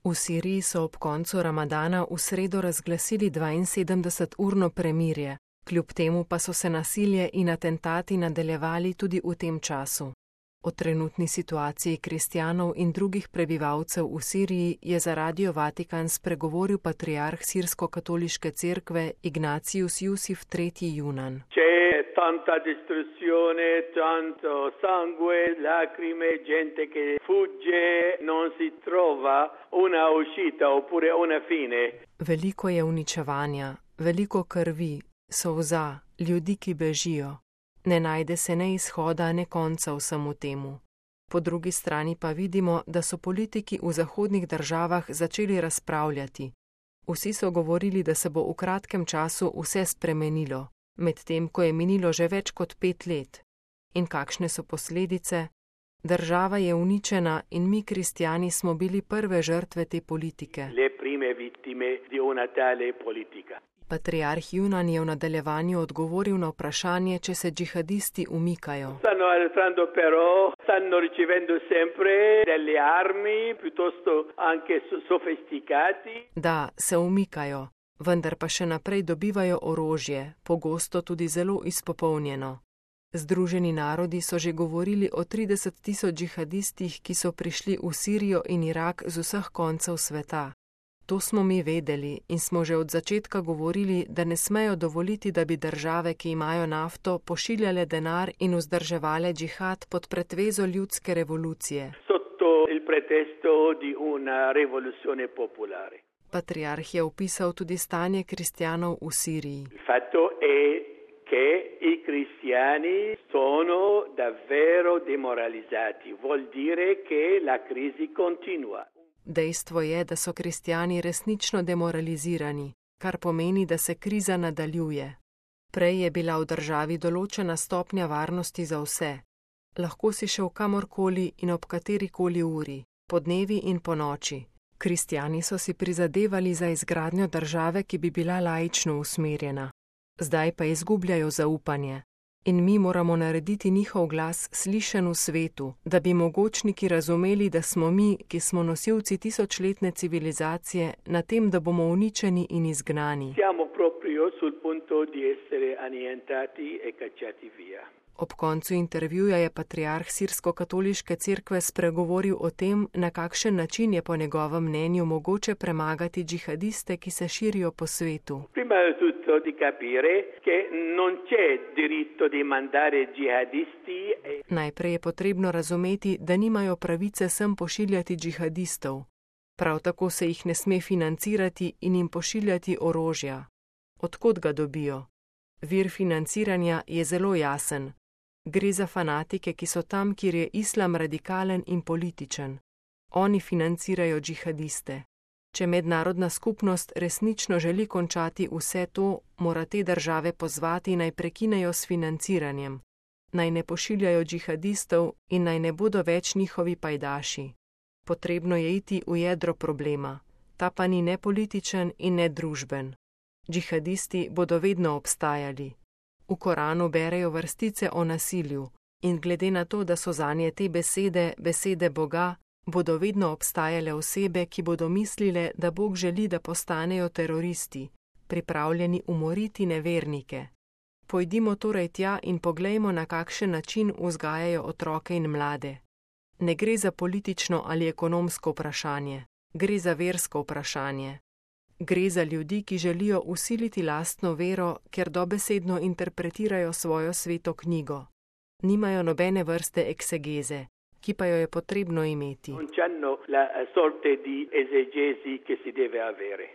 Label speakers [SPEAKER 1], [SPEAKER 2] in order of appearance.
[SPEAKER 1] V Siriji so ob koncu Ramadana v sredo razglasili 72-urno premirje, kljub temu pa so se nasilje in atentati nadaljevali tudi v tem času. O trenutni situaciji kristjanov in drugih prebivalcev v Siriji je za Radio Vatikan spregovoril patriarh Sirsko-katoliške cerkve Ignatius Jusif III. Junan.
[SPEAKER 2] Tanta distruzione, tanto sangue, lacrime, gente che fugge, non si trova una uscita oppure una fine.
[SPEAKER 1] Veliko je uničevanja, veliko krvi, solza, ljudi, ki bežijo. Ne najde se ne izhoda, ne konca vsemu temu. Po drugi strani pa vidimo, da so politiki v zahodnih državah začeli razpravljati. Vsi so govorili, da se bo v kratkem času vse spremenilo, medtem ko je minilo že več kot 5 let. In kakšne so posledice? Država je uničena in mi kristjani smo bili prve žrtve te politike.
[SPEAKER 2] Le prime vittime di una tale politica.
[SPEAKER 1] Patriarh Junan je v nadaljevanju odgovoril na vprašanje, če se džihadisti umikajo.
[SPEAKER 2] Stanno arretrando però, stanno ricevendo sempre delle armi piuttosto anche sofisticati.
[SPEAKER 1] Da, se umikajo, vendar pa še naprej dobivajo orožje, pogosto tudi zelo izpopolnjeno. Združeni narodi so že govorili o 30.000 džihadistih, ki so prišli v Sirijo in Irak z vseh koncev sveta. To smo mi vedeli in smo že od začetka govorili, da ne smejo dovoliti, da bi države, ki imajo nafto, pošiljale denar in vzdrževale džihad pod pretvezo ljudske revolucije.
[SPEAKER 2] Sotto il pretesto di una rivoluzione popolare.
[SPEAKER 1] Patriarh je opisal tudi stanje kristjanov v Siriji.
[SPEAKER 2] Il fatto è che i cristiani sono davvero demoralizzati, vuol dire che la crisi continua.
[SPEAKER 1] Dejstvo je, da so kristjani resnično demoralizirani, kar pomeni, da se kriza nadaljuje. Prej je bila v državi določena stopnja varnosti za vse. Lahko si šel kamorkoli in ob katerikoli uri, podnevi in po noči. Kristjani so si prizadevali za izgradnjo države, ki bi bila laično usmerjena. Zdaj pa izgubljajo zaupanje. In mi moramo narediti njihov glas slišen v svetu, da bi mogočniki razumeli, da smo mi, ki smo nosilci tisočletne civilizacije, na tem, da bomo uničeni in izgnani.
[SPEAKER 2] Siamo proprio sul punto di essere annientati e cacciati via.
[SPEAKER 1] Ob koncu intervjuja je patriarh Sirsko-katoliške cerkve spregovoril o tem, na kakšen način je po njegovem mnenju mogoče premagati džihadiste, ki se širijo po svetu.
[SPEAKER 2] Prima di tutto di capire che non c'è diritto di mandare jihadisti.
[SPEAKER 1] Najprej je potrebno razumeti, da nimajo pravice sem pošiljati džihadistov. Prav tako se jih ne sme financirati in jim pošiljati orožja. Odkot ga dobijo? Vir financiranja je zelo jasen. Gre za fanatike, ki so tam, kjer je islam radikalen in političen. Oni financirajo džihadiste. Če mednarodna skupnost resnično želi končati vse to, mora te države pozvati, naj prekinejo s financiranjem, naj ne pošiljajo džihadistov in naj ne bodo več njihovi pajdaši. Potrebno je iti v jedro problema. Ta pa ni ne političen in ne družben. Džihadisti bodo vedno obstajali. V Koranu berejo vrstice o nasilju in glede na to, da so zanje te besede Boga, bodo vedno obstajale osebe, ki bodo mislile, da Bog želi, da postanejo teroristi, pripravljeni umoriti nevernike. Pojdimo torej tja in poglejmo, na kakšen način vzgajajo otroke in mlade. Ne gre za politično ali ekonomsko vprašanje, gre za versko vprašanje. Gre za ljudi, ki želijo vsiliti lastno vero, ker dobesedno interpretirajo svojo sveto knjigo. Nimajo nobene vrste eksegeze, ki pa jo je potrebno imeti.
[SPEAKER 2] Non c'hanno la sorte di esegesi che si deve avere.